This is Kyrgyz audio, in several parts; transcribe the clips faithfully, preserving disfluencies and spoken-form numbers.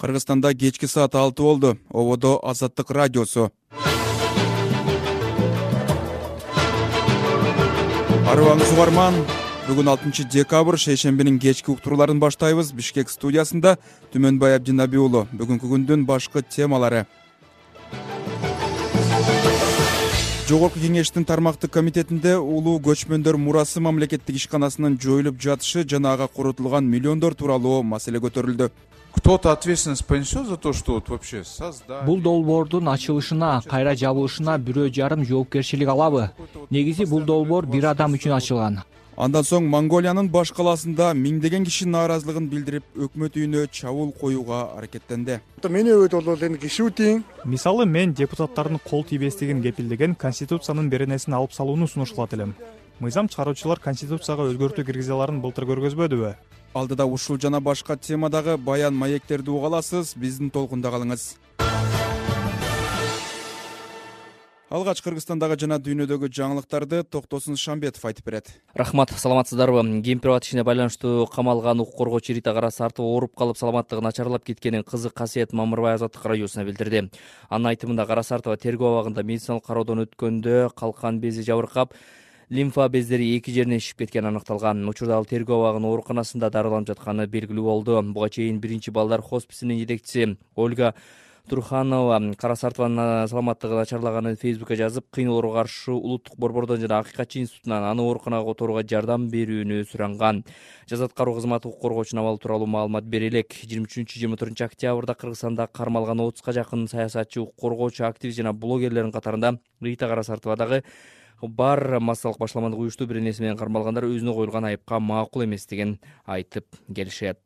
Кыргызстанда кечки саат алты болду. Ободо Азаттык радиосу. Арыбаңыз угарман. Бүгүн алтынчы декабрь шейшембинин кечки уктурууларын баштайбыз. Бишкек студиясында Түмөнбай Абдинаби уулу. Бүгүнкү күндүн башкы темалары. Жогорку кеңештин тармактык комитетинде улуу көчмөндөр мурасы мамлекеттик ишканасынын жоюлуп жатышы жана ага коротулган миллиондор тууралуу маселе көтөрүлдү. Кто-то ответственность понесет за то, что вот вообще создать. Бул долбоордун ачылышына, кайра жабылышына бирөө жарым жоопкерчилик алабы? Негизи бул долбоор бир адам үчүн ачылган. Андан соң Монголиянын баш калаасында миңдеген киши нааразылыгын билдирип, өкмөт үйүнө чабуул коюуга аракеттенди. Мени өтө болду эми киши утин. Мисалы, мен депутаттардын кол тийбестигин кепилдеген Конституциянын беренесин алып салууну сунуш кылат элем. Мыйзам чыгаруучулар Конституцияга өзгөртүү киргизе аларын былтыр көргөзбөдүбү? Алдыда ушул жана башка темадагы баян маектерди уга аласыз. Биздин толкунда калыңыз. Алгач Кыргызстандагы жана дүйнөдөгү жаңылыктарды Токтосун Шамбетов айтып берет. Рахмат, саламатсыздарбы? Кемпир-абад ишине байланыштуу камалган укук коргоочу Рита Карасартова ооруп калып саламаттыгы начарлап кеткенин кызы Касиет Мамырбай Азаттык радиосуна билдирди. Анын айтымында Карасартова тергөө абагында медициналык кароодон өткөндө калкан бези жабыркап, лимфа бездери эки жеринен шишип кеткени аныкталган. Учурда ал тергөө абагынын ооруканасында дарыланып жатканы белгилүү болду. Буга чейин биринчи балдар хосписинин жетекчиси Ольга Турханова Карасартованын саламаттыгы начарлаганын Фейсбукка жазып, кыйноолорго каршы улуттук борбордон жана Акыйкатчы институтунан аны ооруканага которууга жардам берүүнү суранган. Жаза аткаруу кызматы укук коргоочунун абалы тууралуу маалымат бере элек. жыйырма үчүнчү жыйырма төртүнчү октябрда Кыргызстанда кармалган отузга жакын саясатчы, укук коргоочу, активист жана блогерлердин катарында Рита Карасартова дагы бар. Массалык башламандык уюштуу бир нерсе менен кармалгандар өзүнө коюлган айыпка макул эместигин айтып келишет.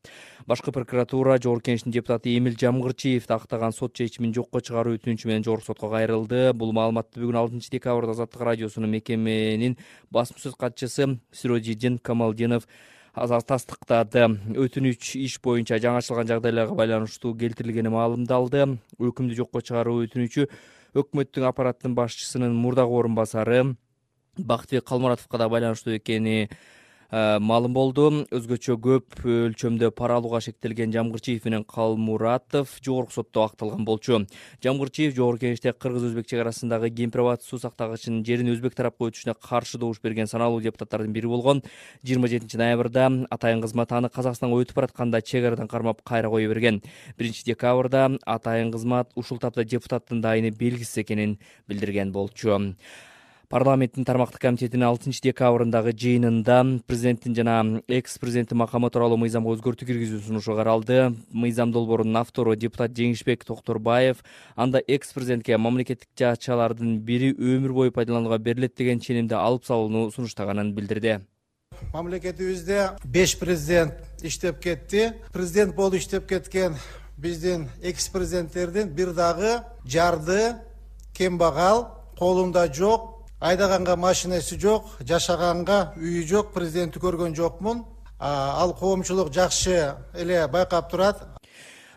Башкы прокуратура Жогорку кеңештин депутаты Эмил Жамгырчиевди актаган сот чечимин жокко чыгаруу өтүнүчү менен жогорку сотко кайрылды. Бул маалыматты бүгүн алтынчы декабрда Азаттык радиосунун мекеменин басма сөз катчысы Сирожидин Камалдинов тастыктады. Өтүнүч иш боюнча жаңы ачылган жагдайларга байланыштуу келтирилгени маалымдалды. Өкүмдү жокко чыгаруу өтүнүчү өкмөттүн аппараттын башчысынын мурдагы орун басары Бактыбек Калмуратовго да байланыштуу экени маалым болду. Өзгөчө көп өлчөмдө пара алууга шектелген Жамгырчиев менен Калмуратов жогорку сотто акталган болчу. Жамгырчиев жогорку кеңеште кыргыз-өзбек чек арасындагы Кемпир-абад суу сактагычынын жерин өзбек тарапка өтүшүнө каршы добуш берген саналуу депутаттардын бири болгон. жыйырма жетинчи ноябрда атайын кызмат аны Казакстанга өтүп баратканда чек арадан кармап кайра кое берген. биринчи декабрда атайын кызмат ушул тапта депутаттын дайыны белгисиз экенин билдирген болчу. Парламенттин тармактык комитетинин алтынчы декабрындагы жыйынында президенттин жана экс-президенти макамы тууралуу мыйзамга өзгөртүү киргизүү сунушу каралды. Мыйзам долбоорунун автору депутат Жеңишбек Токторбаев анда экс-президентке мамлекеттик жаачалардын бири өмүр бою пайдаланууга берилет деген ченемди алып салууну сунуштаганын билдирди. Мамлекетибизде беш президент иштеп кетти. Президент болуп иштеп кеткен биздин экс-президенттердин бир дагы жарды, кембагал, колунда жок, айдаганга машинеси жок, жашаганга үйү жок, президентти көргөн жокмун. Ал коомчулук жакшы эле байкап турат.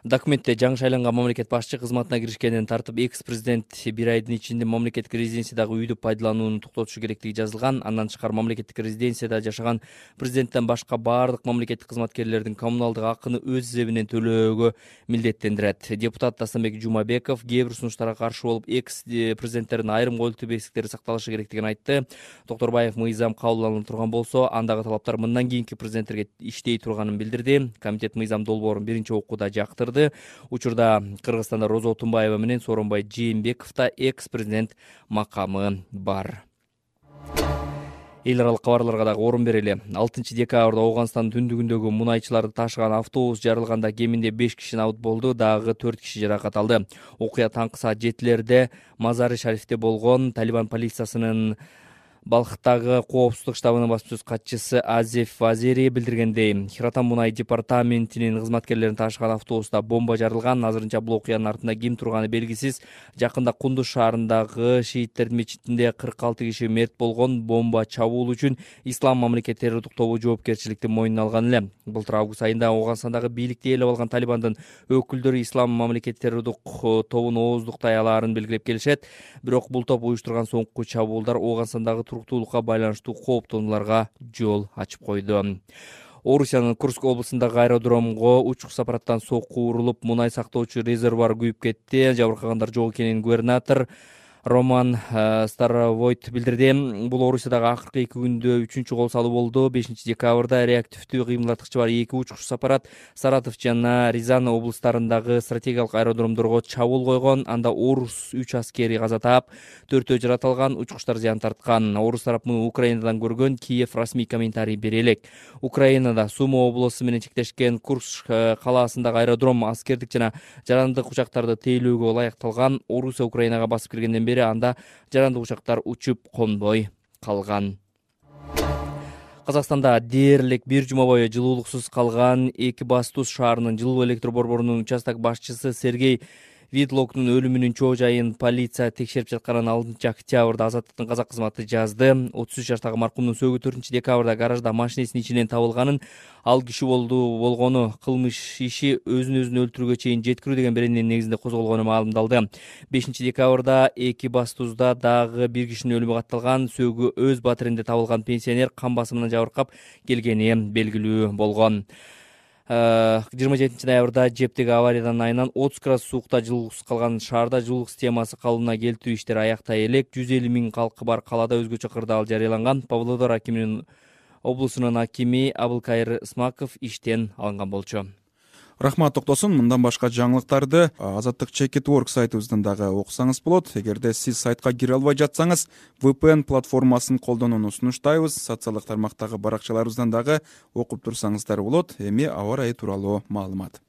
Документте жаңы шайланган мамлекет башчы кызматына киришкенден тартып экс-президент бир айдын ичинде мамлекеттик резиденциядагы үйдү пайдаланууну токтотушу керектиги жазылган. Андан тышкары мамлекеттик резиденцияда жашаган президенттен башка баардык мамлекеттик кызматкерлердин коммуналдык акыны өз эсебинен төлөөгө милдеттендирет. Депутат Дастамбек Жумабеков кээ бир сунуштарга каршы болуп, экс-президенттердин айрым коюлтуу бесиктери сакталышы керектигин айтты. Токторбаев мыйзам кабылданып турган болсо, андагы талаптар мындан кийинки президенттерге иштей турганын билдирди. Комитет мыйзам долбоорун биринчи окууда жактырды. Учурда Кыргызстанда Роза Отунбаева менен Сооронбай Жээнбековдо экс-президент макамы бар. Эл аралык кабарларга дагы орун берели. алтынчы декабрда Ооганстандын түндүгүндөгү мунайчыларды ташыган автобус жарылганда кеминде беш киши абут болду, дагы төрт киши жаракат алды. Окуя таңкы саат жетилерде Мазари Шарифте болгон. Талибан полициясынын Балхтагы коопсуздук штабынын басма сөз катчысы Азеф Вазери билдиргендей, Хиратан мунай департаментинин кызматкерлерин ташыган автобуста бомба жарылган. Азырынча бул окуянын артында ким турганы белгисиз. Жакында Кундуз шаарындагы шииттердин мечитинде кырк алты киши мерт болгон. Бомба чабуул үчүн Ислам мамлекет террордук тобу жоопкерчиликти мойнуна алган эле. Былтыр август айында Ооганстандагы бийликти ээлеп алган Талибандын өкүлдөрү Ислам мамлекет террордук тобун ооздуктай алаарын белгилеп келишет. Бирок бул топ уюштурган соңку чабуулдар Ооганстандагы туруктуулукка байланыштуу кооптонууларга жол ачып койду. Орусиянын Курск облусундагы аэродромго учук аппараттан сокку урулуп, мунай сактоочу резервуар күйүп кетти. Жабыркагандар жок экенин губернатор Роман Старовойт билдирди. Бул Орусиядагы акыркы эки күндө үчүнчү кол салуу болду. бешинчи декабрда реактивдүү кыймылдаткычы бар эки учкуч аппарат Саратов жана Рязань облустарындагы стратегиялык аэродромдорго чабуул койгон. Анда орус үч аскери каза таап, төртөө жаратылган, учкучтар зыян тарткан. Орус тарап муну Украинадан көргөн. Киев расмий комментарий бере элек. Украинада Суми облусу менен чектешкен Курск калаасындагы аэродром аскердик жана жарандык учактарды тейлөөгө ылайыкталган. Орусия Украинага басып киргенден бери анда жарандык учактар учуп конбой калган. Казакстанда дээрлик бир жума бою жылуулуксуз калган Экибастуз шаарынын жылуу электр борборунун участок башчысы Сергей Видлоктун өлүмүнүн чоо жайын полиция текшерип жатканын алтынчы октябрда Азаттыктын казак кызматы жазды. отуз үч жаштагы маркумдун сөөгү төртүнчү декабрда гаражда машинесинин ичинен табылганын, ал киши болду болгону кылмыш иши өзүн өзүн өлтүрүүгө чейин жеткирүү деген беренин негизинде козголгону маалымдалды. бешинчи декабрда Экибастузда дагы бир кишинин өлүмү катталган. Сөөгү өз батиринде табылган пенсионер кан басымынан жабыркап келгени белгилүү болгон. жыйырма жетинчи ноябрда Жептеги авариядан айынан отуз градус суукта жылуулуксуз калган шаарда жылуулук системасы калыбына келтирүү иштери аяктай элек. жүз элүү миң калкы бар калаада өзгөчө кырдаал жарыяланган. Павлодар акиминин облусунун акими Абылкайыр Исмаков иштен алынган болчу. Рахмат Токтосун. Мындан башка жаңылыктарды Азаттык Чекит Work сайтыбыздан дагы окусаңыз болот. Эгерде сиз сайтка кире албай жатсаңыз, ви пи эн платформасын колдонууну сунуштайбыз. Социалдык тармактагы баракчаларыбыздан дагы окуп турсаңыздар болот. Эми аба ырайы тууралуу маалымат.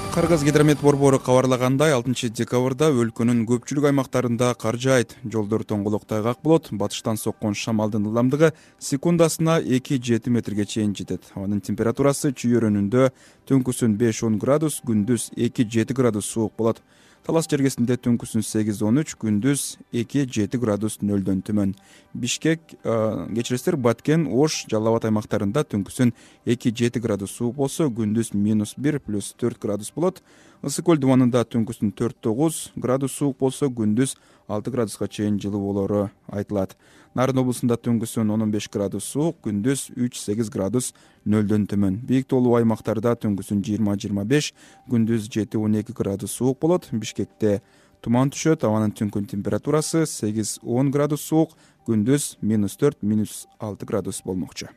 Кыргыз гидромет борбору кабарлагандай, алтынчы декабрда өлкөнүн көпчүлүк аймактарында кар жаайт. Жолдор тоңголок тайгак болот. Батыштан соккон шамалдын ылдамдыгы секундасына эки жети метрге чейин жетет. Анын температурасы чүйөрөнүндө түнкүсүн беш он градус, күндүз эки жети градус суук болот. Талас жергесинде түнкүсүн сегиз он үч, күндүз эки жети градус нөлдөн төмөн. Бишкек, кечиресиздер, Баткен, Ош, Жалал Абад аймактарында түнкүсүн эки жети градус суук болсо, күндүз минус бир плюс төрт градус болот. Ысык көл дубанында түнкүсүн төрт тогуз градус суук болсо, күндүз алты градуска чейин жылуу болору айтылат. Нарын облусунда түнкүсүн он беш градус суук, күндүз үч сегиз градус нөлдөн төмөн. Бийик тоолуу аймактарда түнкүсүн жыйырма жыйырма беш, күндүз жети он эки градус суук болот. Бишкекте туман түшөт. Абанын түнкүн температурасы сегиз он градус суук, күндүз минус төрт минус алты градус болмокчу.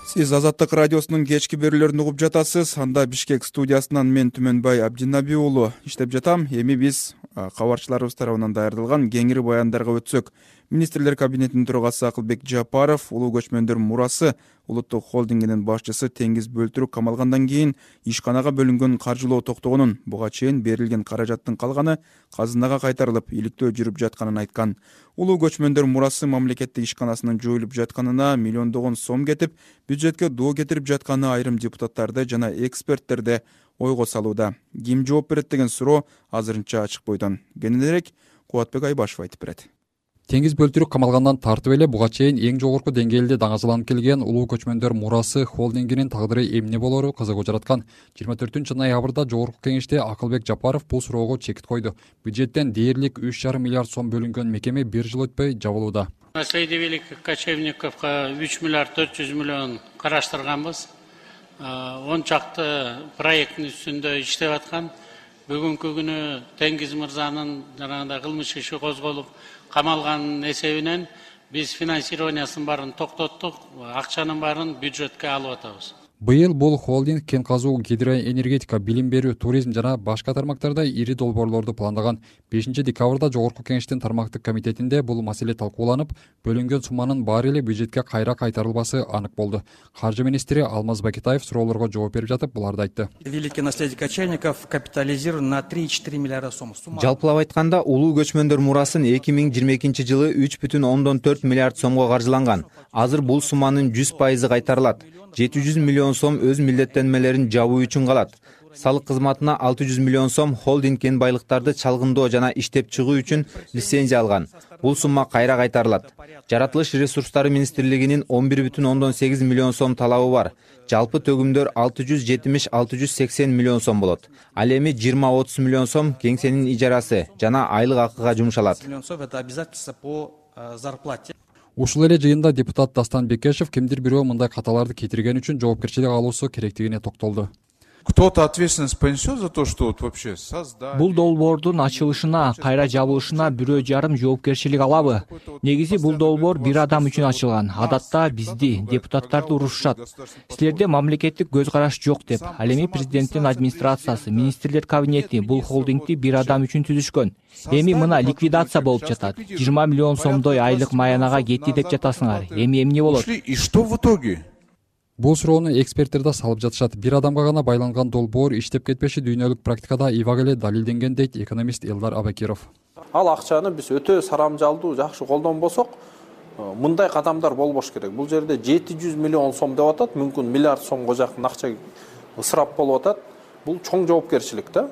Сиз Азаттык радиосунун кечки берүүлөрүн угуп жатасыз. Анда Бишкек студиясынан мен Түмөнбай Абдинаби уулу иштеп жатам. Эми биз кабарчыларыбыз тарабынан даярдалган кеңири баяндарга өтсөк. Министрлер кабинетинин төрагасы Акылбек Жапаров улуу көчмөндөр мурасы улуттук холдингинин башчысы Теңиз Бөлтүрүк камалгандан кийин ишканага бөлүнгөн каржылоо токтогонун, буга чейин берилген каражаттын калганы казынага кайтарылып, иликтөө жүрүп жатканын айткан. Улуу көчмөндөр мурасы мамлекеттик ишканасынын жоюлуп жатканына миллиондогон сом кетип, бюджетке доо кетирип жатканы айрым депутаттарды жана эксперттерди ойго салууда. Ким жооп берет деген суроо азырынча ачык бойдон. Кененирээк Кубатбек Айбашев айтып берет. Теңиз Бөлтүрүк камалгандан тартып эле буга чейин эң жогорку деңгээлде даңазаланып келген улуу көчмөндөр мурасы холдингинин тагдыры эмне болору кызыгуу жараткан. жыйырма төртүнчү ноябрда жогорку кеңеште Акылбек Жапаров бул суроого чекит койду. Бюджеттен дээрлик үч жарым миллиард сом бөлүнгөн мекеме бир жыл өтпөй жабылууда. Наследие великих кочевниковго үч миллиард төрт жүз миллион караштырганбыз. он чакты проекттин үстүндө иштеп аткан. Бүгүнкү күнү Теңиз мырзанын жанагындай кылмыш иши козголуп камалганын эсебинен биз финансированиясын баарын токтоттук, акчанын баарын бюджетке алып атабыз. Быйыл бул холдинг кен казуу, гидроэнергетика, билим берүү, туризм жана башка тармактарда ири долбоорлорду пландаган. бешинчи декабрда жогорку кеңештин тармактык комитетинде бул маселе талкууланып, бөлүнгөн сумманын баары эле бюджетке кайра кайтарылбасы анык болду. Каржы министри Алмаз Бакетаев суроолорго жооп берип жатып буларды айтты. Великий наследие кочевников капитализирован на три и четыре миллиарда сом. Жалпылап айтканда, улуу көчмөндөр мурасын эки миң жыйырма экинчи жылы үч бүтүн ондон төрт миллиард сомго каржыланган. Азыр бул сумманын жүз пайызы кайтарылат. жети жүз миллион сом өз милдеттенмелерин жабуу үчүн калат. Салык кызматына алты жүз миллион сом холдинг кен байлыктарды чалгындоо жана иштеп чыгуу үчүн лицензия алган. Бул сумма кайра кайтарылат. Жаратылыш ресурстары министрлигинин он бир бүтүн ондон сегиз миллион сом талабы бар. Жалпы төгүмдөр алты жүз жетимиш алты жүз сексен миллион сом болот. Ал эми жыйырма отуз миллион сом кеңсенин ижарасы жана айлык акыга жумшалат. Ушул эле жыйында депутат Дастан Бекешев кимдир бирөө мындай каталарды кетирген үчүн жоопкерчилик алуусу керектигине токтолду. Кто-то ответственность понесет за то, что вот вообще создать. Бул долбоордун ачылышына, кайра жабылышына бирөө жарым жоопкерчилик алабы? Негизи бул долбоор бир адам үчүн ачылган. Адатта бизди, депутаттарды урушушат. Силерде мамлекеттик көз караш жок деп. Ал эми президенттин администрациясы, министрлер кабинети бул холдингди бир адам үчүн түзүшкөн. Эми мына ликвидация болуп жатат. жыйырма миллион сомдой айлык маянага кетти деп жатасыңар. Эми эмне болот? И что в итоге? Бул суроону эксперттер да салып жатышат. Бир адамга гана байланган долбоор иштеп кетпеши дүйнөлүк практикада ибак эле далилденген дейт экономист Элдар Абакиров. Ал акчаны биз өтө сарамжалдуу, жакшы колдонбосок, мындай кадамдар болбош керек. Бул жерде жети жүз миллион сом деп атат, мүмкүн миллиард сомго жакын акча ысырап болуп атат. Бул чоң жоопкерчилик да.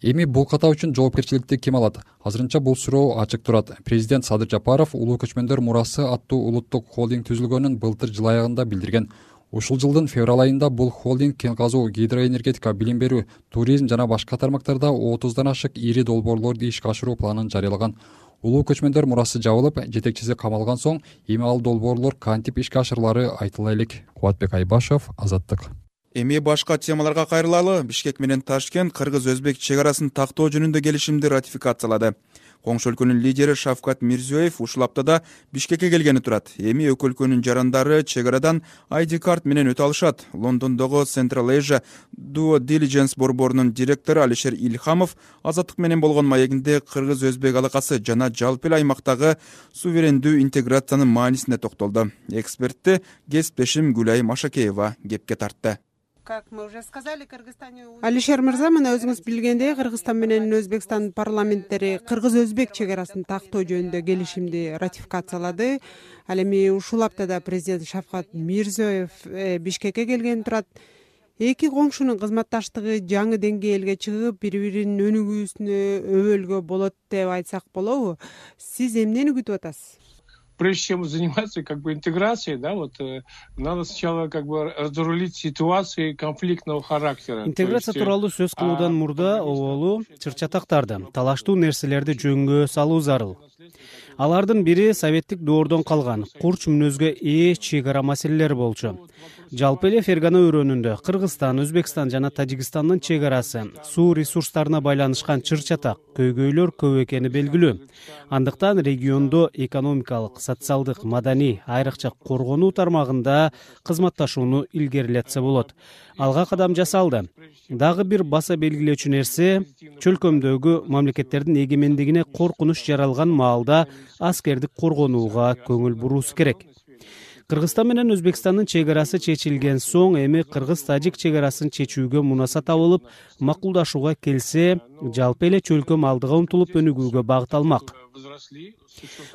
Эми бул ката үчүн жоопкерчиликти ким алат? Азырынча бул суроо ачык турат. Президент Садыр Жапаров улуу көчмөндөр мурасы аттуу улуттук холдинг түзүлгөнүн былтыр жыл аягында билдирген. Ушул жылдын февраль айында бул холдинг кен казуу, гидроэнергетика, билим берүү, туризм жана башка тармактарда отуздан ашык ири долбоорлорду ишке ашыруу планын жарыялаган. Улуу көчмөндөр мурасы жабылып, жетекчиси камалган соң, эми ал долбоорлор кантип ишке ашырылары айтыла элек. Кубатбек Айбашев, Азаттык. Эми башка темаларга кайрылалы. Бишкек менен Ташкент кыргыз-өзбек чек арасын тактоо жөнүндө келишимди ратификациялады. Коңшу өлкөнүн лидери Шавкат Мирзиёев ушул аптада Бишкекке келгени турат. Эми эки өлкөнүн жарандары чек арадан ай ди карт менен өтө алышат. Лондондогу Central Asia Due Diligence борборунун директору Алишер Илхамов Азаттык менен болгон маегинде кыргыз-өзбек алакасы жана жалпы эле аймактагы суверендүү интеграциянын маанисине токтолду. Экспертти кесиптешим Гүлай Машакеева кепке тартты. Алишер мырза, мына өзүңүз билгендей, Кыргызстан менен Өзбекстан парламенттери кыргыз-өзбек чек арасын тактоо жөнүндө келишимди ратификациялады. Ал эми ушул аптада президент Шавкат Мирзиёев Бишкекке келген турат. Эки коңшунун кызматташтыгы жаңы деңгээлге чыгып, бири-биринин өнүгүүсүнө өбөлгө болот деп айтсак болобу? Сиз эмнени күтүп атасыз? Прежде чем заниматься как бы интеграцией, да, вот надо сначала как бы разрулить ситуации конфликтного характера. Интеграция тууралуу сөз кылуудан мурда оболу чыр-чатактарды, талаштуу нерселерди жөнгө салуу зарыл. Алардын бири советтик доордон калган курч мүнөзгө ээ чек ара маселелери болчу. Жалпы эле Фергана өрөөнүндө Кыргызстан, Өзбекстан жана Тажикстандын чек арасы суу ресурстарына байланышкан чыр-чатак, көйгөйлөр көп экени белгилүү. Андыктан региондо экономикалык, социалдык, маданий, айрыкча коргонуу тармагында кызматташууну илгерилетсе болот. Алга кадам жасалды. Дагы бир баса белгилөөчү нерсе, чөлкөмдөгү мамлекеттердин эгемендигине коркунуч жаралган маалда аскердик коргонууга көңүл буруусу керек. Кыргызстан менен Өзбекстандын чек арасы чечилген соң, эми кыргыз-тажик чек арасын чечүүгө мунаса табылып, макулдашууга келсе, жалпы эле чөлкөм алдыга умтулуп өнүгүүгө багыт алмак.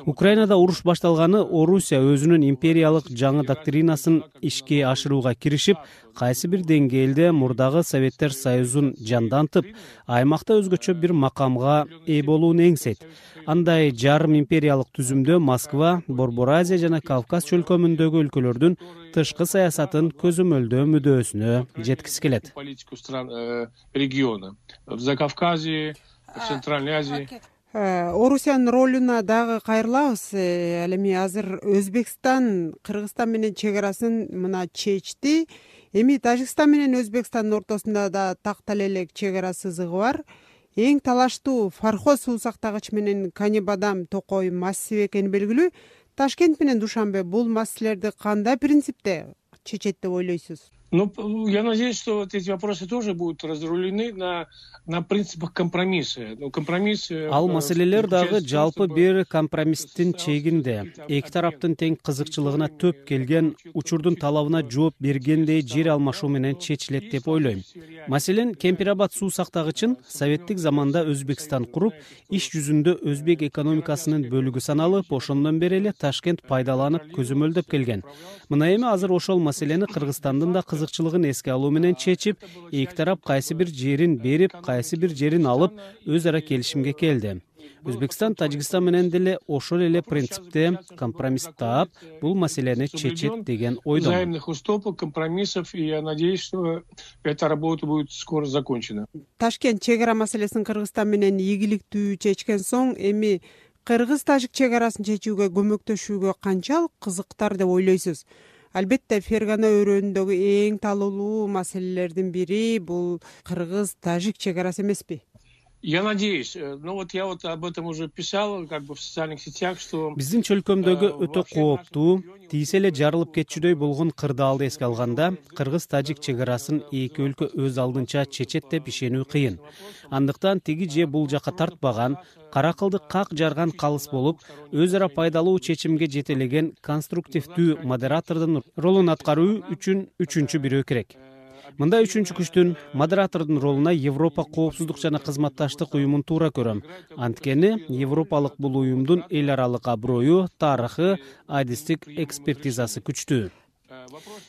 Украинада уруш башталганы Орусия өзүнүн империялык жаңы доктринасын ишке ашырууга киришип, кайсы бир деңгээлде мурдагы Советтер Союзун жандантып, аймакта өзгөчө бир макамга ээ болууну эңсейт. Андай жарым империялык түзүмдө Москва, Борбор Азия жана Кавказ чөлкөмүндөгү өлкөлөрдүн тышкы саясатын көзөмөлдөө мүдөөсүнө жеткиси келет. Политику стран региона в Закавказье, в Центральной Азии. Орусиянын ролуна дагы кайрылабыз. Ал эми азыр Өзбекстан Кыргызстан менен чек арасын мына чечти. Эми Тажикстан менен Өзбекстандын ортосунда да тактала элек чек ара сызыгы бар. Эң талаштуу Фархо суу сактагыч менен Канебадам Токой массиви экени белгилүү. Ташкент менен Душанбе бул маселелерди кандай принципте чечет деп ойлойсуз? Ну, я надеюсь, что вот эти вопросы тоже будут разрулены на на принципах компромисса. Ну, компромисс. Ал маселелер дагы жалпы бир компромисстин чегинде, эки тараптын тең кызыкчылыгына төп келген, учурдун талабына жооп бергендей жер алмашуу менен чечилет деп ойлойм. Маселен, Кемпирабад суу сактагычын советтик заманда Өзбекстан куруп, иш жүзүндө өзбек экономикасынын бөлүгү саналып, ошондон бери эле Ташкент пайдаланып көзөмөлдөп келген. Мына эми азыр ошол маселени Кыргызстандын да кызыкчылыгын эске алуу менен чечип, эки тарап кайсы бир жерин берип, кайсы бир жерин алып, өз ара келишимге келди. Өзбекстан, Тажикстан менен деле ошол эле принципте компромисс таап, бул маселени чечет деген ойдомун. Взаимных уступок, компромиссов, и я надеюсь, что эта работа будет скоро закончена. Ташкент чек ара маселесин Кыргызстан менен ийгиликтүү чечкен соң, эми кыргыз тажик чек арасын чечүүгө көмөктөшүүгө канчалык кызыктар деп ойлойсуз? Албетте Фергана өрөөнүндөгү эң талуулуу маселелердин бири бул кыргыз тажик чек арасы эмеспи? Я надеюсь, ну вот я вот об этом уже писал, как бы в социальных сетях, что биздин чөлкөмдөгү өтө кооптуу, тийсе эле жарылып кетчүдөй болгон кырдаалды эске алганда, кыргыз тажик чек арасын эки өлкө өз алдынча чечет деп ишенүү кыйын. Андыктан тиги же бул жака тартпаган, кара кылды как жарган калыс болуп, өз ара пайдалуу чечимге жетелеген конструктивдүү модератордун ролун аткаруу үчүн үчүнчү бирөө керек. Мындай үчүнчү күчтүн модератордун ролуна Европа коопсуздук жана кызматташтык уюмун туура көрөм. Анткени Европалык бул уюмдун эл аралык аброю, тарыхы, адистик экспертизасы күчтүү.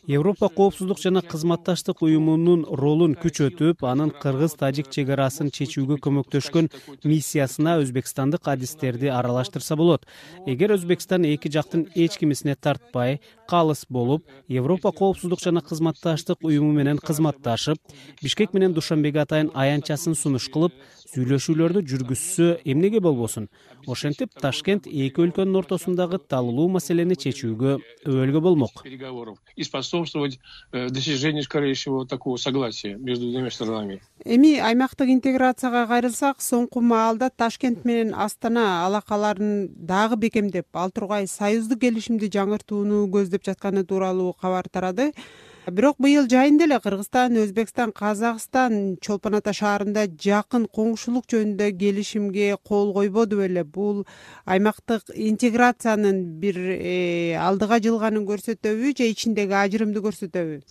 Европа коопсуздук жана кызматташтык уюмунун ролун күчөтүп, анын кыргыз тажик чек арасын чечүүгө көмөктөшкөн миссиясына өзбекстандык адистерди аралаштырса болот. Эгер Өзбекстан эки жактын эч кимисине тартпай, калыс болуп, Европа коопсуздук жана кызматташтык уюму менен кызматташып, Бишкек менен Душанбеге атайын аянтчасын сунуш кылып, сүйлөшүүлөрдү жүргүзсө эмнеге болбосун? Ошентип Ташкент эки өлкөнүн ортосундагы талуулуу маселени чечүүгө өбөлгө болмок. И способствовать достижению скорейшего такого согласия между двумя сторонами. Эми аймактык интеграцияга кайрылсак, соңку маалда Ташкент менен Астана алакаларын дагы бекемдеп, ал тургай союздук келишимди жаңыртууну көздөп жатканы тууралуу кабар тарады. Бирок быйыл жайында эле Кыргызстан, Өзбекстан, Казакстан Чолпон Ата шаарында жакын коңшулук жөнүндө келишимге кол койбоду беле? Бул аймактык интеграциянын бир алдыга жылганын көрсөтөбү же ичиндеги ажырымды көрсөтөбү?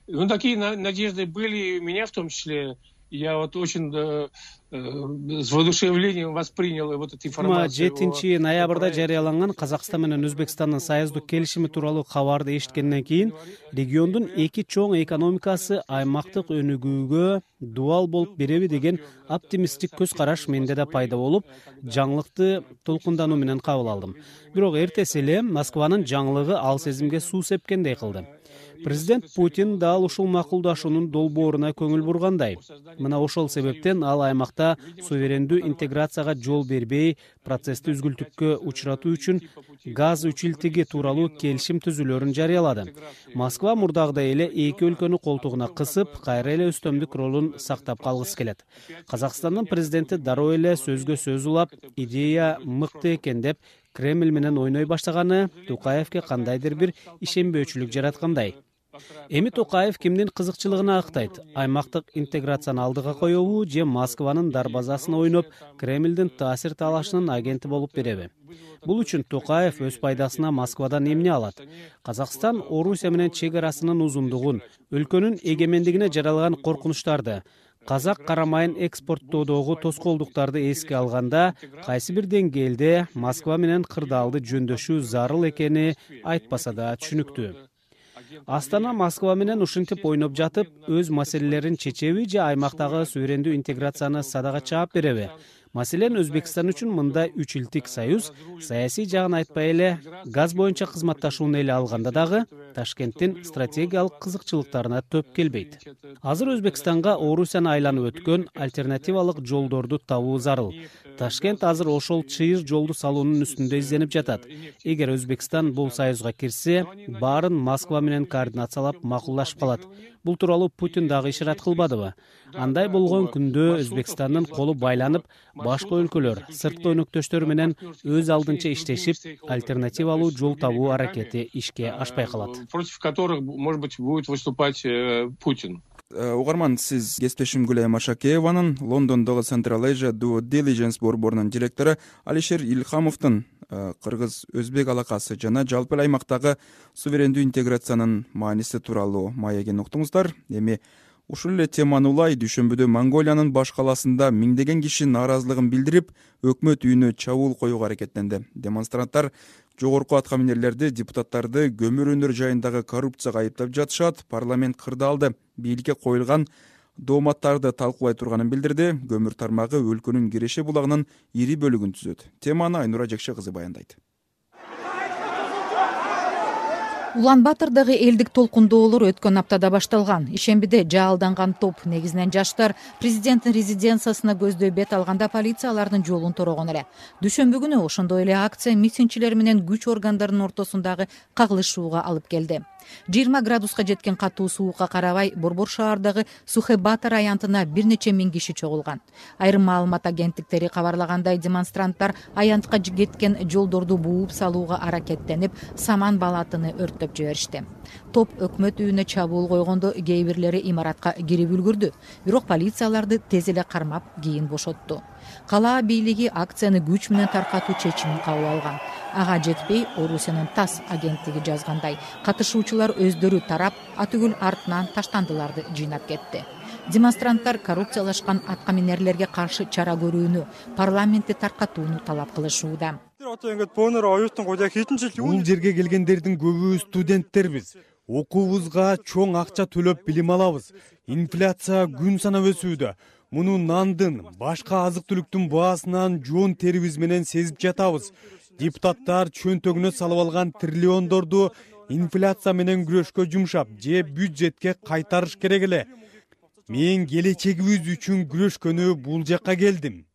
Ну, такие надежды были у меня в том числе. Я вот очень э, э, с воодушевлением воспринял вот эту информацию. жетинчи ноябрда жарыяланган Казакстан менен Өзбекстандын союздук келишими тууралуу кабарды эшиткенден кийин региондун эки чоң экономикасы аймактык өнүгүүгө дуал болуп береби деген оптимисттик көз караш менде да пайда болуп, жаңылыкты толкундануу менен кабыл алдым. Бирок эртеси эле Москванын жаңылыгы ал сезимге суу сепкендей кылды. Президент Путин дал ушул макулдашуунун долбооруна көңүл бургандай. Мына ошол себептен ал аймакта суверендүү интеграцияга жол бербей, процессти үзгүлтүккө учуратуу үчүн газ үчилтиги тууралуу келишим түзүүлөрүн жарыялады. Москва мурдагыдай эле эки өлкөнү колтугуна кысып, кайра эле өстөмдүк ролун сактап калгысы келет. Казакстандын президенти дароо эле сөзгө сөз улап, идея мыкты экен деп Кремль менен ойной баштаганы Токаевке кандайдыр бир ишенбөөчүлүк жараткандай. Эми Токаев кимдин кызыкчылыгына актайт? Аймактык интеграцияны алдыга коебу же Москванын дарбазасын ойноп, Кремлдин таасир талашынын агенти болуп береби? Бул үчүн Токаев өз пайдасына Москвадан эмне алат? Казакстан Орусия менен чек арасынын узундугун, өлкөнүн эгемендигине жаралган коркунучтарды, казак карамайын экспорттоодогу тоскоолдуктарды эске алганда, кайсы бир деңгээлде Москва менен кырдаалды жөндөшүү зарыл экени айтпаса да түшүнүктүү. Астана Москва менен ушинтип ойноп жатып, өз маселелерин чечеби же аймактагы суверендүү интеграцияны садага чаап береби? Маселен, Өзбекстан үчүн мындай үч илтик союз саясий жагын айтпай эле газ боюнча кызматташууну эле алганда дагы Ташкенттин стратегиялык кызыкчылыктарына төп келбейт. Азыр Өзбекстанга Орусияны айланып өткөн альтернативалык жолдорду табуу зарыл. Ташкент азыр ошол чыйыр жолду салуунун үстүндө изденип жатат. Эгер Өзбекстан бул союзга кирсе, баарын Москва менен координациялап макулдашып калат. Бул тууралуу Путин дагы ишарат кылбадыбы? Андай болгон күндө Өзбекстандын колу байланып, башка өлкөлөр, сырткы өнөктөштөр менен өз алдынча иштешип, альтернативалуу жол табуу аракети ишке ашпай калат. Против которых, может быть, будет выступать Путин. Угарман, сиз кесиптешим Гүлай Машакееванын Лондондогу Central Asia Due Diligence борборунун директору Алишер Илхамовдун кыргыз өзбек алакасы жана жалпы эле аймактагы суверендүү интеграциянын мааниси тууралуу маегин уктуңуздар. Эми ушул эле теманы улай дүйшөмбүдө Монголиянын баш калаасында миңдеген киши нааразылыгын билдирип, өкмөт үйүнө чабуул коюуга аракеттенди. Демонстранттар жогорку аткаминерлерди, депутаттарды көмүр өнөр жайындагы коррупцияга айыптап жатышат. Парламент кырдаалды бийликке коюлган дооматтарды талкуулай турганын билдирди. Көмүр тармагы өлкөнүн Киреше булагынын ири бөлүгүн түзөт. Теманы Айнура Жекше кызы баяндайт. Улан Батырдагы элдик толкундоолор өткөн аптада башталган. Ишембиде жаалданган топ, негизинен жаштар, президенттин резиденциясына көздөй бет алганда полиция алардын жолун торогон эле. Дүшөмбү күнү ошондой эле акция митингчилер менен күч органдарынын ортосундагы кагылышууга алып келди. жыйырма градуска жеткен катуу суукка карабай, Борбор шаардагы Сухэ-Батыр аянтына бир нече миң киши чогулган. Айрым маалымат агенттиктери кабарлагандай, демонстранттар аянтка кеткен жолдорду бууп салууга аракеттенип, саман балатыны өрттөп жиберишти. Топ өкмөт үйүнө чабуул койгондо кээ бирлери имаратка кирип үлгүрдү, бирок полицияларды тез эле кармап, кийин бошотту. Калаа бийлиги акцияны күч менен таркатуу чечимин кабыл алган. Ага жетпей, Орусиянын ТАСС агенттиги жазгандай, катышуучулар өздөрү тарап, атүгүл артынан таштандыларды жыйнап кетти. Демонстранттар коррупциялашкан аткаминерлерге каршы чара көрүүнү, парламентти таркатууну талап кылышууда. Бул жерге келгендердин көбү студенттербиз. Окуубузга чоң акча төлөп билим алабыз. Инфляция күн санап өсүүдө. Муну нандын, башка азык-түлүктүн баасынан жоон терибиз менен сезип жатабыз. Депутаттар чөнтөгүнө салып алган триллиондорду инфляция менен күрөшкө жумшап, же бюджетке кайтарыш керек эле. Мен келечегибиз үчүн күрөшкөнү бул жакка келдим.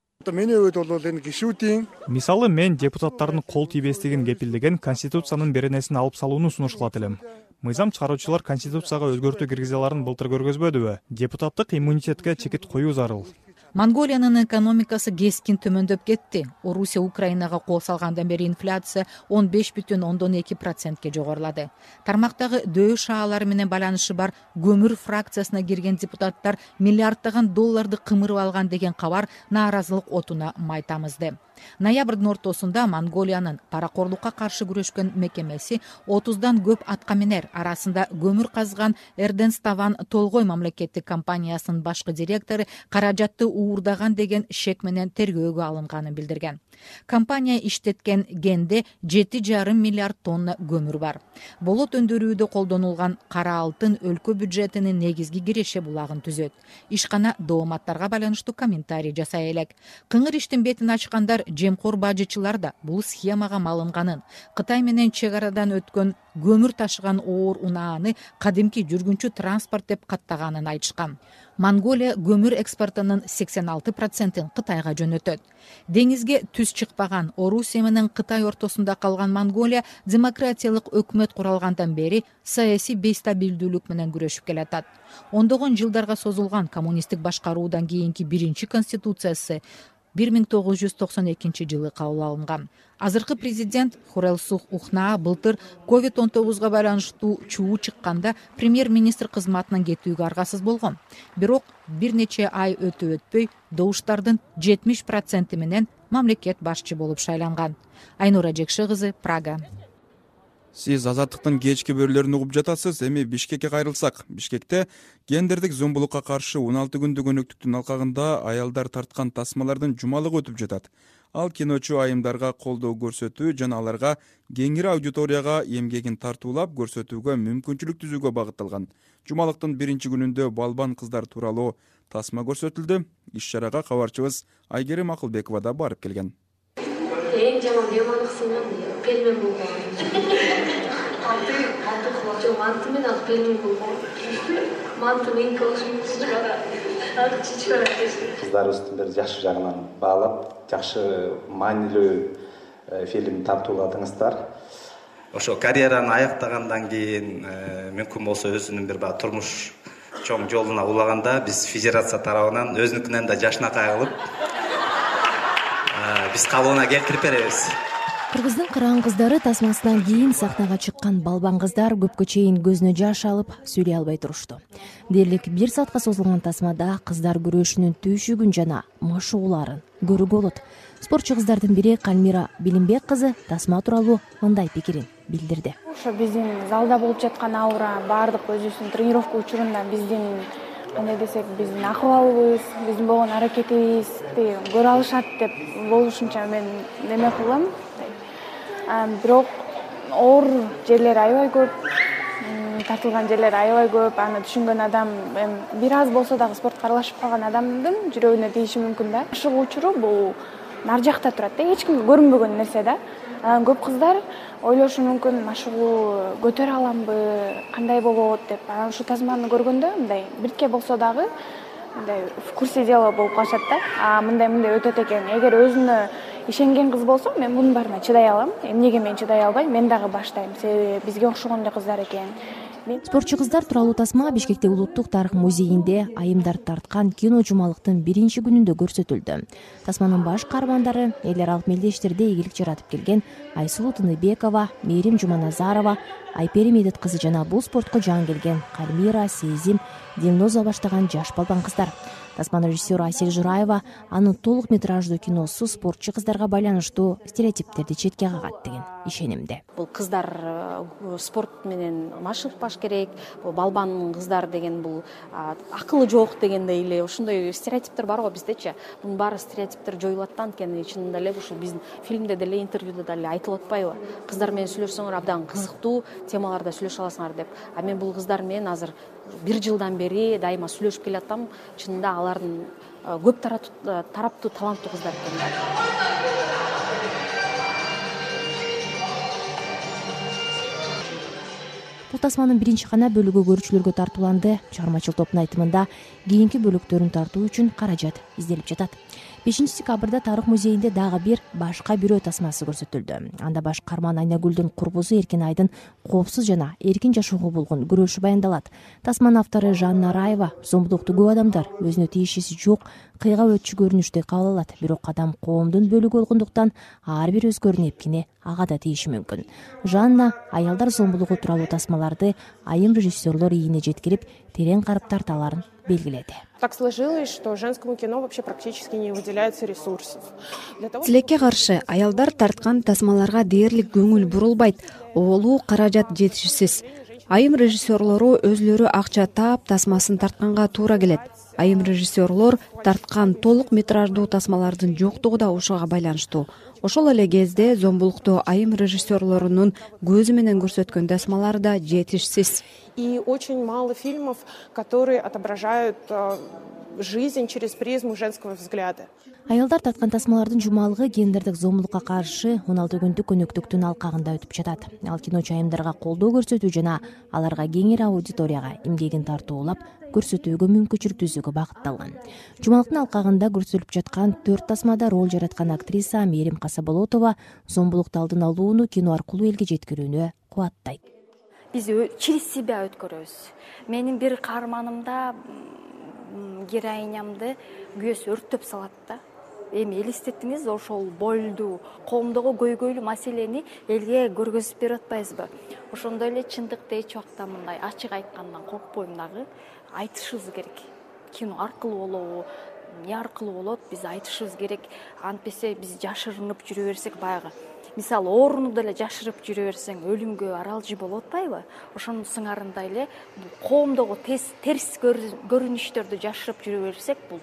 Мисалы, мен депутаттардын кол тийбестигин кепилдеген Конституциянын беренесин алып салууну сунушталат элем. Мыйзам чыгаруучулар Конституцияга өзгөртүү киргизе аларын былтыр көргөзбөдүбү? Депутаттык иммунитетке чекит коюу зарыл. Монголиянын экономикасы кескин төмөндөп кетти. Орусия Украинага кол салгандан бери инфляция он беш бүтүн ондон эки процентке жогорулады. Тармактагы дөү шаалары менен байланышы бар көмүр фракциясына кирген депутаттар миллиарддаган долларды кымырып алган деген кабар нааразылык отуна май тамызды. Ноябрдын ортосунда Монголиянын паракорлукка каршы күрөшкөн мекемеси отуздан көп аткаминер арасында көмүр казган Эрденставан Толгой мамлекеттик компаниясынын башкы директору каражатты уурдаган деген шек менен тергөөгө алынганын билдирген. Компания иштеткен генде жети жарым миллиард тонна көмүр бар. Болот өндүрүүдө колдонулган кара алтын өлкө бюджетинин негизги киреше булагын түзөт. Ишкана дооматтарга байланыштуу комментарий жасай элек. Кыңыр иштин бетин ачкандар жемкор бажычылар да бул схемага малынганын, Кытай менен чек арадан өткөн көмүр ташыган оор унааны кадимки жүргүнчү транспорт деп каттаганын айтышкан. Монголия көмүр экспортунун сексен алты процентин Кытайга жөнөтөт. Деңизге түз чыкпаган Орусия менен Кытай ортосунда калган Монголия демократиялык өкмөт куралгандан бери саясий бейстабилдүүлүк менен күрөшүп келатат. Ондогон жылдарга созулган коммунисттик башкаруудан кийинки биринчи конституциясы бир миң тогуз жүз токсон экинчи жылы кабыл алынган. Азыркы президент Хурэлсух Ухнаа былтыр ковид он тогузга байланыштуу чуу чыкканда премьер-министр кызматынан кетүүгө аргасыз болгон. Бирок бир нече ай өтө өтпөй добуштардын жетимиш проценти менен мамлекет башчы болуп шайланган. Айнура Жекши кызы, Прага. Сиз Азаттыктын кечки бөлүлөрүн угуп жатасыз. Эми Бишкекке кайрылсак. Бишкекте гендердик зомбулукка каршы он алты күндүк өнөктүктүн алкагында аялдар тарткан тасмалардын жумалыгы өтүп жатат. Ал киночу айымдарга колдоо көрсөтүү жана аларга кеңири аудиторияга эмгегин тартуулап көрсөтүүгө мүмкүнчүлүк түзүүгө багытталган. Жумалыктын биринчи күнүндө балбан кыздар тууралуу тасма көрсөтүлдү. Иш-чарага кабарчыбыз Айгерим Акылбекова да барып келген. Эң жаман бемалыксыңан пельмен болгон. Алты, алты кулак жок, манты менен ал пельмен болгон. Манты менен кылышып ага чичкара кести. Кыздарыбыздын бир жакшы жагынан баалап, жакшы маанилүү фильм тартууладыңыздар. Ошо карьераны аяктагандан кийин мүмкүн болсо өзүнүн бир баа турмуш чоң жолуна улаганда биз федерация тарабынан өзүнүкүнөн да жашынакай кылып биз кабылына келтирип беребиз. Кыргыздын кыраан кыздары тасмасынан кийин сахнага чыккан балбан кыздар көпкө чейин көзүнө жаш алып сүйлөй албай турушту. Дээрлик бир саатка созулган тасмада кыздар күрөшүнүн түйшүгүн жана машыгууларын көрүүгө болот. Спортчу кыздардын бири Калмира Билимбек кызы тасма тууралуу мындай пикирин билдирди. Ошо биздин залда болуп жаткан аура, баардык өзүбүздүн тренировка учурунда биздин кандай десек, биздин акыбалыбыз, биздин болгон аракетибизди көрө алышат деп болушунча мен неме кылам. Бирок оор жерлери аябай көп, тартылган жерлери аябай көп. Аны түшүнгөн адам бир аз болсо дагы спортко аралашып калган адамдын жүрөгүнө тийиши мүмкүн да. Ашыгуу учуру бул нары жакта турат да, эч кимге көрүнбөгөн нерсе да. Анан көп кыздар ойлошу мүмкүн, машыгуу көтөрө аламбы, кандай болот деп. Анан ушу тасманы көргөндө мындай бирке болсо дагы мындай в курсе дела болуп калышат да. А мындай мындай өтөт экен. Эгер өзүнө ишенген кыз болсо, мен мунун баарына чыдай алам. Эмнеге мен чыдай албайм? Мен дагы баштайм. Себеби бизге окшогон эле кыздар экен. Спортчу кыздар тууралуу тасма Бишкектеги Улуттук тарых музейинде айымдарды тарткан кино жумалыктын биринчи күнүндө көрсөтүлдү. Тасманын баш каармандары эл аралык мелдештерде ийгилик жаратып келген Айсулуу Тыныбекова, Мээрим Жуманазарова, Айпери Медет кызы жана бул спортко жан келген Кальмира, Сезим, Дилноза баштаган жаш балбан кыздар. Тасманын режиссеру Айсель Жураева анын толук метраждуу киносу спортчу кыздарга байланыштуу стереотиптерди четке кагат деген ишенимде. Бул кыздар спорт менен машыгышпаш керек, бул балбан кыздар деген бул акылы жок дегендей эле ушундай стереотиптер бар го биздечи. Бунун баары стереотиптер жоюлат да, анткени чынында эле ушул биздин фильмде деле, интервьюда деле айтылып атпайбы? Кыздар менен сүйлөшсөңөр абдан кызыктуу темаларда сүйлөшө аласыңар деп. А мен бул кыздар менен азыр бир жылдан бери дайыма сүйлөшүп келатам. Чынында алардын көп тараптуу таланттуу кыздар экен. Бул тасманын биринчи гана бөлүгү көрүүчүлөргө тартууланды. Чыгармачыл топтун айтымында кийинки бөлүктөрүн тартуу үчүн каражат изделип жатат. бешинчи декабрда Тарых музейинде дагы бир башка бирөө тасмасы көрсөтүлдү. Анда баш каарман Айнагүлдүн курбусу Эркин Айдын коопсуз жана эркин жашоого болгон күрөшү баяндалат. Тасманын автору Жанна Раева зомбулукту көп адамдар өзүнө тиешеси жок кыйга өтчү көрүнүштө кабыл алат. Бирок адам коомдун бөлүгү болгондуктан ар бир өзгөрүүнүн эпкини ага да тийиши мүмкүн. Жанна аялдар зомбулугу тууралуу тасмаларды айым режиссерлор ийине жеткирип, терең карап тарталарын белгиледи. Так сложилось, что женскому кино вообще практически не выделяется ресурсов. Тилекке каршы аялдар тарткан тасмаларга дээрлик көңүл бурулбайт, оолуу каражат жетишсиз. Айым режиссерлору өзлөрү акча таап тасмасын тартканга туура келет. Айым режиссерлор тарткан толук метраждуу тасмалардын жоктугу да ошого байланыштуу. Ошол эле кезде зомбулукту айым режиссерлорунун көзү менен көрсөткөн тасмалары да жетишсиз. И очень мало фильмов, которые отображают жизнь через призму женского взгляда. Аялдар тарткан тасмалардын жумалыгы гендердик зомбулукка каршы он алты күндүк өнөктүктүн алкагында өтүп жатат. Ал киночу айымдарга колдоо көрсөтүү жана аларга кеңири аудиторияга эмгегин тартуулап көрсөтүүгө мүмкүнчүлүк түзүүгө багытталган. Жумалыктын алкагында көрсөтүлүп жаткан төрт тасмада роль жараткан актриса Мээрим Касаболотова зомбулукту алдын алууну кино аркылуу элге жеткирүүнү кубаттайт. Биз через себя өткөрөбүз. Менин бир каарманымда героинямды күйөөсү өрттөп салат да. Эми элестеттиңиз, ошол бойлду, коомдогу көйгөйлүү маселени элге көргөзүп берип атпайсызбы? Ошондой эле чындыкты эч убакта мындай ачык айткандан коркпойм дагы. Айтышыбыз керек. Кино аркылуу болобу, эмне аркылуу болот, биз айтышыбыз керек. Антпесе биз жашырынып жүрө берсек баягы. Мисалы, ооруну деле жашырып жүрө берсең өлүмгө аралжы болуп атпайбы? Ошонун сыңарындай эле коомдогу терс көрүнүштөрдү жашырып жүрө берсек, бул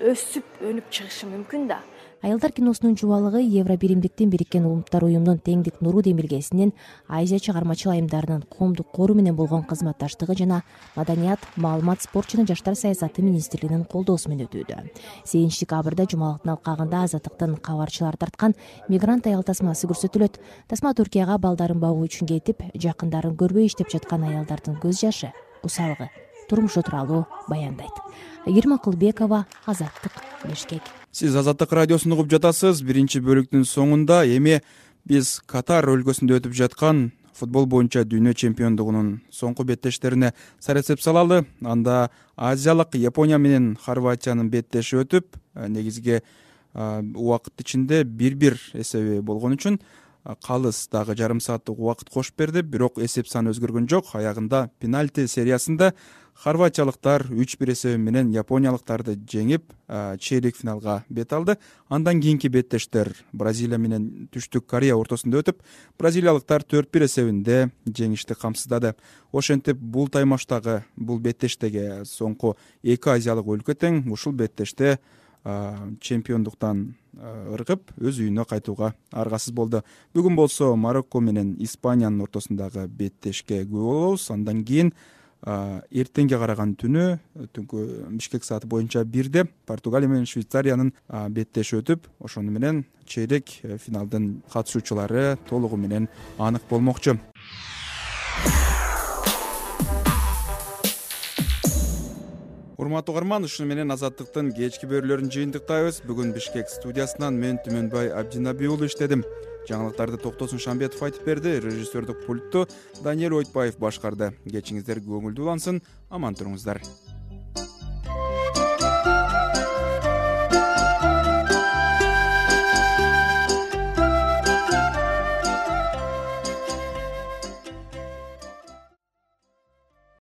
өсүп, өнүп чыгышы мүмкүн да. Аялдар киносунун жубалыгы Евро биримдиктин Бириккен Улуттар уюмунун теңдик нуру демилгесинин Азия чыгармачыл айымдарынын коомдук кору менен болгон кызматташтыгы жана Маданият, маалымат, спорт жана жаштар саясаты министрлигинин колдоосу менен өтүүдө. сегизинчи декабрда жумалыктын алкагында Азаттыктын кабарчылары тарткан мигрант аял тасмасы көрсөтүлөт. Тасма Түркияга балдарын багуу үчүн кетип, жакындарын көрбөй иштеп жаткан аялдардын көз жашы, кусалыгы, турмушу тууралуу баяндайт. Айгерим Акылбекова, Азаттык, Бишкек. Сиз Азаттык радиосун угуп жатасыз. Биринчи бөлүктүн соңунда эми биз Катар өлкөсүндө өтүп жаткан футбол боюнча дүйнө чемпиондугунун соңку беттештерине сарасеп салалы. Анда азиялык Япония менен Хорватиянын беттеши өтүп, негизги убакыт ичинде бир бир эсеби болгон үчүн калыс дагы жарым сааттык убакыт кошуп берди, бирок эсеп саны өзгөргөн жок. Аягында пенальти сериясында хорватиялыктар үч бир эсеби менен япониялыктарды жеңип, чейрек финалга бет алды. Андан кийинки беттештер Бразилия менен Түштүк Корея ортосунда өтүп, бразилиялыктар төрт бир эсебинде жеңишти камсыздады. Ошентип бул таймаштагы бул беттештеги соңку эки азиялык өлкө тең. Ушул беттеште чемпиондуктан ыргып, өз үйүнө кайтууга аргасыз болду. Бүгүн болсо Марокко менен Испаниянын ортосундагы беттешке күбө болобуз. Андан кийин эртеңге караган түнү түнкү Бишкек сааты боюнча бирде Португалия менен Швейцариянын беттеши өтүп, ошону менен чейрек финалдын катышуучулары толугу менен анык болмокчу. Урматтуу угарман, ушуну менен Азаттыктын кечки берүүлөрүн жыйынтыктайбыз. Бүгүн Бишкек студиясынан мен Түмөнбай Абдинаби уулу иштедим. Жаңылыктарды Токтосун Шамбетов айтып берди, режиссердук пультту Даниэль Ойтбаев башкарды. Кечиңиздер көңүлдүү улансын, аман туруңуздар.